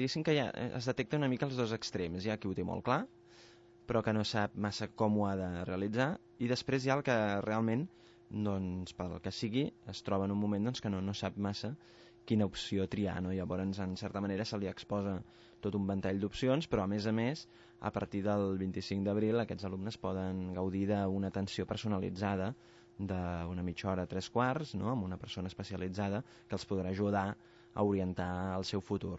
diguéssim que es detecta una mica els dos extrems. Hi ha qui ho té molt clar, però que no sap massa com ho ha de realitzar, i després hi ha el que realment, doncs, pel que sigui, es troba en un moment doncs, que no sap massa quina opció triar, no? Llavors, en certa manera, se li exposa tot un ventall d'opcions, però a més, a partir del 25 d'abril aquests alumnes poden gaudir d'una atenció personalitzada d'una mitja hora, 3 quarts, no? Amb una persona especialitzada que els podrà ajudar a orientar el seu futur.